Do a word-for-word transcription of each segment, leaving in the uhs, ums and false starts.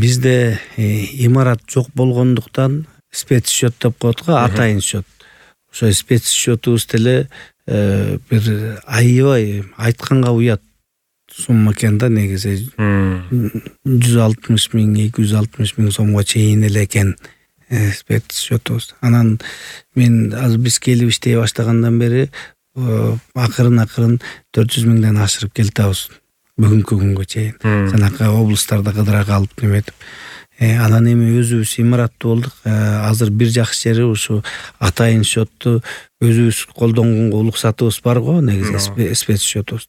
бизде имарат жок болгондуктан спецсчет деп коет го, атайын счет. Ошо спецсчетубуз деле бир аябай айтканга уят сумма экен да, негизи жүз алтымыш миң, эки жүз алтымыш миң сомго чейин эле экен спецсчетубуз. Анан мен азыр биз келип иштей баштагандан бери акырын акырын төрт жүз миңден ашырып келатабыз бүгүнкү күнгө чейин. Жанакы облустарда кыдыра калып неметип. Анан эми өзүбүз имараттуу болдук. Азыр бир жакшы жери ушу атайын счетту өзүбүз колдонгонго уруксатыбыз бар го, негизи спецсчетубуз.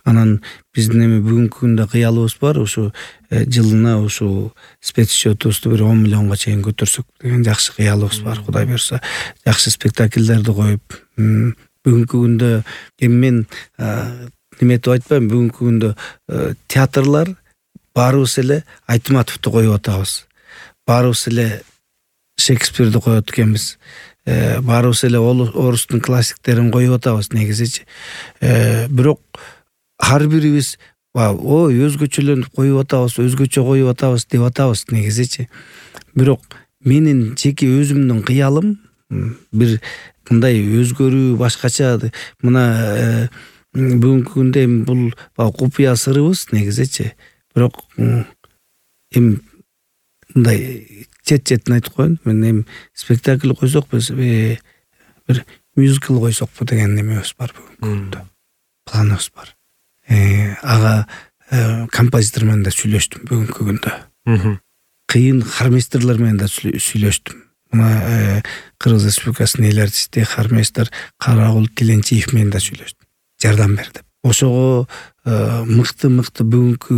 Анан биздин эми бүгүнкү күндө кыялыбыз бар, ушу жылына ушу спецсчетубузду бир он миллионго чейин көтөрсөк деген жакшы кыялыбыз бар. Кудай буйрса, жакшы спектакльдерди коюп, бүгүнкү күндө эми мен неметип айтпайм, бүгүнкү күндө театрлар баарыбыз эле Айтматовду коюп атабыз. Баарыбыз эле Шекспирди коет экенбиз. Баарыбыз эле орустун классиктерин коюп атабыз негизичи. Бирок ар бирибиз ой өзгөчөлөнүп коюп атабыз, өзгөчө коюп атабыз деп атабыз негизичи. Бирок менин жеке өзүмдүн кыялым бир мындай өзгөрүү, башкача. Мына бүгүнкү күндө эми бул купуя сырыбыз негизичи. Бирок эми мындай чет-четин айтып коеюн. Мен эми спектакль койсок, биз бир мюзикл койсокпу деген немебиз бар бүгүнкү күндө. Планыбыз бар. Ага композитор менен да сүйлөштүм бүгүнкү күндө. Кыйын хормейстерлер менен да сүйлөштүм. Мына Кыргыз Республикасынын эл артисти хормейстер Карагул Тиленчиев менен да сүйлөштүм. Жардам бер деп. Ошого мыкты-мыкты бүгүнкү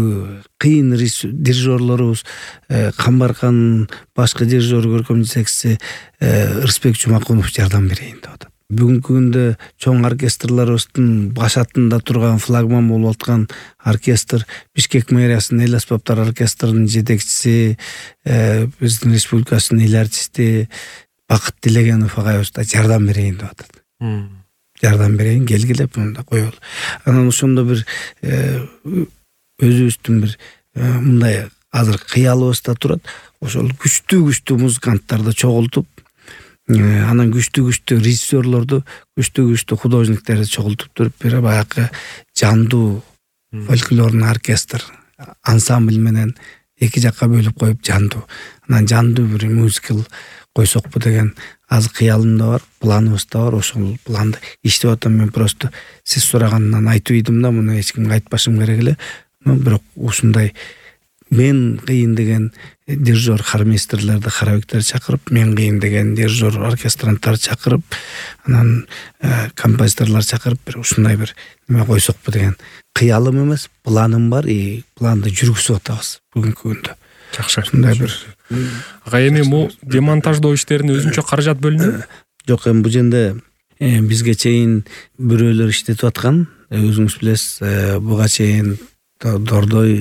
кыйын дирижерлорубуз, Камбаркан башкы дирижер, көркөм жетекчиси Ырысбек Жумакунов жардам берейин деп атат. Бүгүнкү күндө чоң оркестрларыбыздын башатында турган, флагман болуп аткан оркестр, Бишкек мэриясынын эл аспаптар оркестринин жетекчиси, биздин республикасынын эл артисти Бакыт Делегенов агайыбыз да жардам берейин деп атат. Жардам берейин, келгиле мында коелу. Анан ошондо бир өзүбүздүн бир мындай азыр кыялыбыз да турат. Ошол күчтүү-күчтүү музыканттарды чогултуп, анан күчтүү-күчтүү режиссерлорду, күчтүү-күчтүү художниктерди чогултуп туруп, бир баягы жандуу фольклорный оркестр, ансамбль менен эки жакка бөлүп коюп жандуу. Анан жандуу бир мюзикл койсокпу деген азыр кыялым да бар, планыбыз да бар. Ошол планды иштеп атам. Мен просто сиз сурагандан айтып идим да, муну эч кимге айтпашым керек эле. Бирок ушундай мен кыйын деген дирижер хормейстерлерди, хоровиктерди чакырып, мен кыйын деген дирижер оркестранттарды чакырып, анан композиторлор чакырып, бир ушундай бир неме койсокпу деген кыялым эмес, планым бар. И планды жүргүзүп атабыз бүгүнкү күндө. Жакшы. Ушундай бир. Ага, эми бул демонтаждоо иштерине өзүнчө каражат бөлүнөбү? Жок, эми бул жерде бизге чейин бирөөлөр иштетип аткан. Өзүңүз билесиз, буга чейин Дордой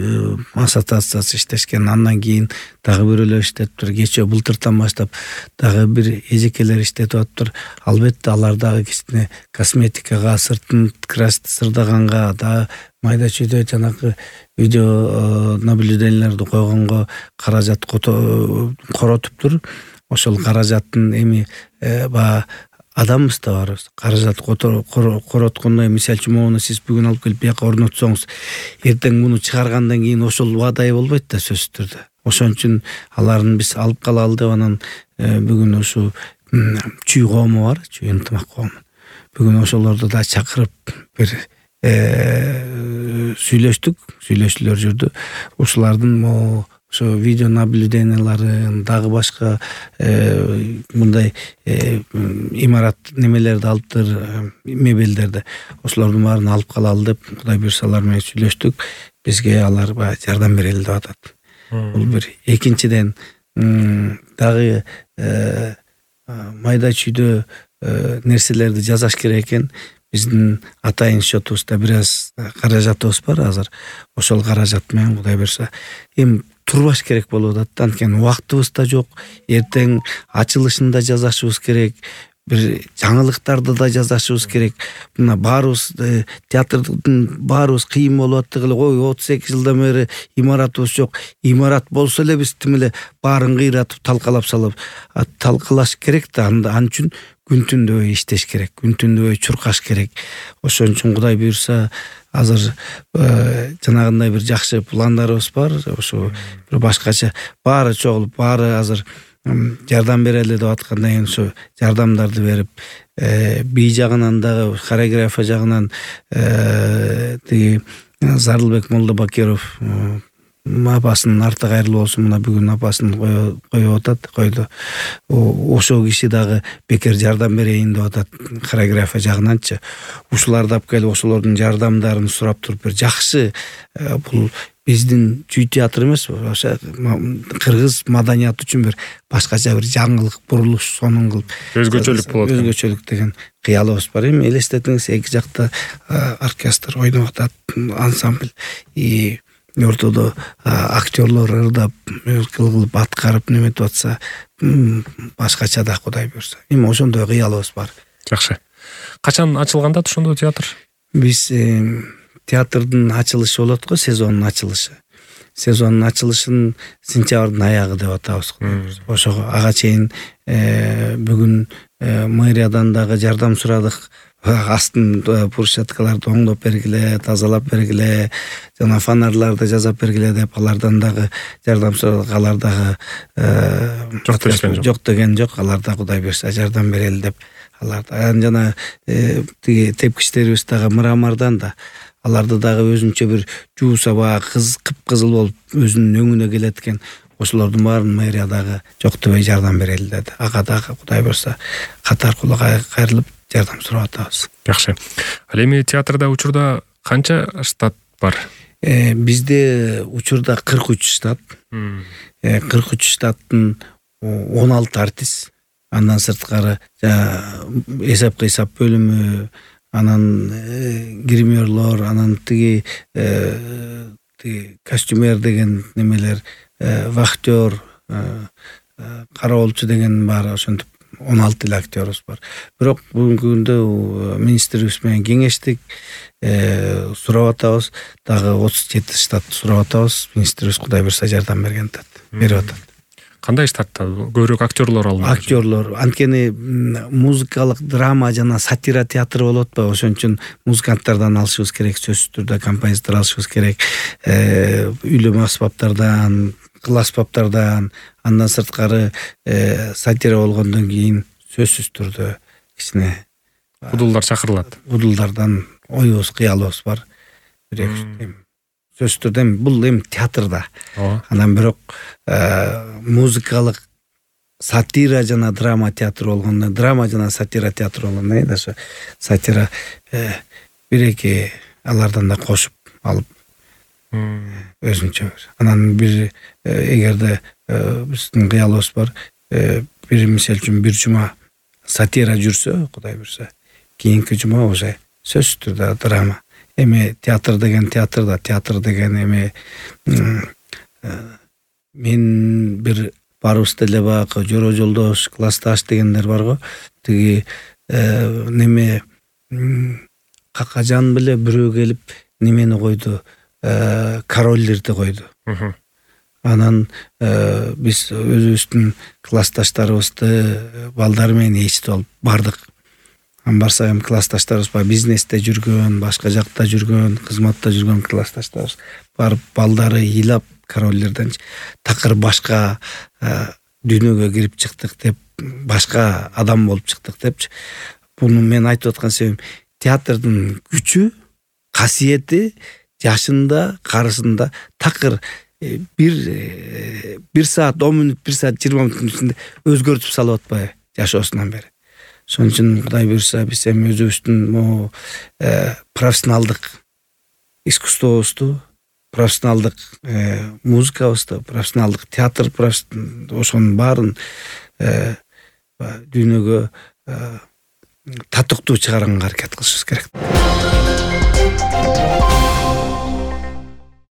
ассоциациясы иштешкен. Андан кийин дагы бирөөлөр иштетиптир. Кечээ былтыртан баштап дагы бир эжекелер иштетип атыптыр. Албетте алар дагы кичине косметикага, сыртын красить сырдаганга, дагы майда чүйдө жанакы видео наблюденияларды койгонго каражат коротуптур. Ошол каражаттын эми баягы адамыбыз да бар. Каражат короткондо, мисалы үчүн моуну сиз бүгүн алып келип бияка орнотсоңуз, эртең муну чыгаргандан кийин ошол убадай болбойт да сөзсүз түрдө. Ошон үчүн аларын биз алып калалы деп анан бүгүн ушу чүй коому бар, чүй ынтымак коому. Бүгүн ошолорду да чакырып бир сүйлөштүк, сүйлөшүүлөр жүрдү. Ушулардын ошо видео наблюденияларын, дагы башка мындай имарат немелерди алыптыр, мебелдерди. Ошолордун баарын алып калалы деп Кудай буйрса алар менен сүйлөштүк. Бизге алар баягы жардам берели деп атат. Бул бир. Экинчиден дагы майда чүйдө нерселерди жасаш керек экен. Биздин атайын счетубузда бир аз каражатыбыз бар азыр. Ошол каражат менен Кудай буйрса эми турбаш керек болуп атат. Анткени убактыбыз да жок. Эртең ачылышында жасашыбыз керек. бир жаңылыктарды да жасашыбыз керек. Мына баарыбыз театрдын баарыбыз кыйын болуп аттык эле. Ой, отуз эки жылдан бери имаратыбыз жок. Имарат болсо эле биз тим эле баарын кыйратып талкалап салып талкалаш керек да. Ал үчүн күн түндөбөй иштеш керек, күн түндөбөй чуркаш керек. Ошон үчүн Кудай буйрса азыр жанагындай бир жакшы пландарыбыз бар. Ошо бир башкача баары чогулуп, баары азыр жардам берели деп аткандан кийин ошо жардамдарды берип, бий жагынан дагы, хореография жагынан тиги Зарылбек Молдобакиров апасынын арты кайрылуу болсун, мына бүгүн апасын коюп атат, койду. Ошол киши дагы бекер жардам берейин деп атат хореография жагынанчы. Ушуларды алып келип, ошолордун жардамдарын сурап туруп, бир жакшы, бул биздин чүй театр эмес, ошо кыргыз маданияты үчүн бир башкача бир жаңылык, бурулуш сонун кылып, өзгөчөлүк болот. Өзгөчөлүк деген кыялыбыз бар. Эми элестетиңиз, эки жакта оркестр ойноп атат, ансамбль, и ортодо актерлор ырдап, кылып аткарып неметип атса, башкача да Кудай буйрса. Эми ошондой кыялыбыз бар. Жакшы. Качан ачылганда ошондо театр? Биз театрдын ачылышы болот го, сезондун ачылышы. Сезондун ачылышын сентябрдын аягы деп атабыз. Ошого ага чейин бүгүн мэриядан дагы жардам сурадык. Астын брусчаткаларды оңдоп бергиле, тазалап бергиле, жана фонарларды жасап бергиле деп алардан дагы жардам сурадык. Алар дагы жок деген жок. Алар да Кудай буйрса жардам берели деп. Алар жана тиги тепкичтерибиз дагы Мырамардан да, аларды дагы өзүнчө бир жуу саба, кыз кыпкызыл болуп өзүнүн өңүнө келет экен. Ошолордун баарын мэрия дагы жок дебей жардам берели деди. Ага дагы Кудай буйрса катар кула кайрылып жардам сурап атабыз. Жакшы. Ал эми театрда учурда канча штат бар? Бизде учурда кырк үч штат. кырк үч штаттын он алты артист. Андан сырткары эсеп кыйсап бөлүмү, анан гримерлор, анан тиги тиги костюмер деген немелер, вахтер, кароолчу деген бар, ошентип он алты эле актерибиз бар. Бирок бүгүнкү күндө министрибиз менен кеңештик, сурап атабыз, дагы отуз жети штат сурап атабыз. Министрибиз Кудай буйрса жардам берген атат, берип атат. Кандай штатта? Көбүрөөк актерлор алынат. Актерлор, анткени музыкалык драма жана сатира театры болот ба, ошон үчүн музыканттардан алышыбыз керек, сөзсүз түрдө композитор алышыбыз керек, үйлөмө аспаптардан, кыл аспаптардан, андан сырткары сатира болгондон кийин сөзсүз түрдө кичине удулдар чакырылат. Удулдардан оюбуз, кыялыбыз бар. Сөзсүз түрдө бул эми театрда. Анан бирок музыкалык сатира жана драма театр болгондо, драма жана сатира театр болгондо, да ошо сатира бир-эки алардан да кошуп алып өзүнчө. Анан бир эгерде биздин кыялыбыз бар, бир мисал үчүн бир жума сатира жүрсө, Кудай буйрса, кийинки жума уже сөзсүз түрдө драма. Эми театр деген театрда, театр деген эми мен бир барыбыз деле баягы Жора Жолдош, классташ дегендер бар го. Тиги неме Какажан беле бирөө келип немени койду, королдерди койду. Анан биз өзүбүздүн классташтарыбызды балдар менен эчтип алып бардык. Ан барсак эми классташтарыбыз бар, бизнесте жүргөн, башка жакта жүргөн, кызматта жүргөн классташтарыбыз барып балдары ыйлап королдерден такыр башка дүйнөгө кирип чыктык деп, башка адам болуп чыктык депчи. Буну мен айтып аткан себебим, театрдын күчү, касиети жашында, карысында такыр бир бир саат он мүнөт, бир саат жыйырма мүнөттүн ичинде өзгөртүп салып атпайбы жашоосунан бери. Ошон үчүн Кудай буйрса биз эми өзүбүздүн могу профессионалдык искусствобузду, профессионалдык музыкабызды, профессионалдык театр, ошонун баарын дүйнөгө татыктуу чыгарганга аракет кылышыбыз керек.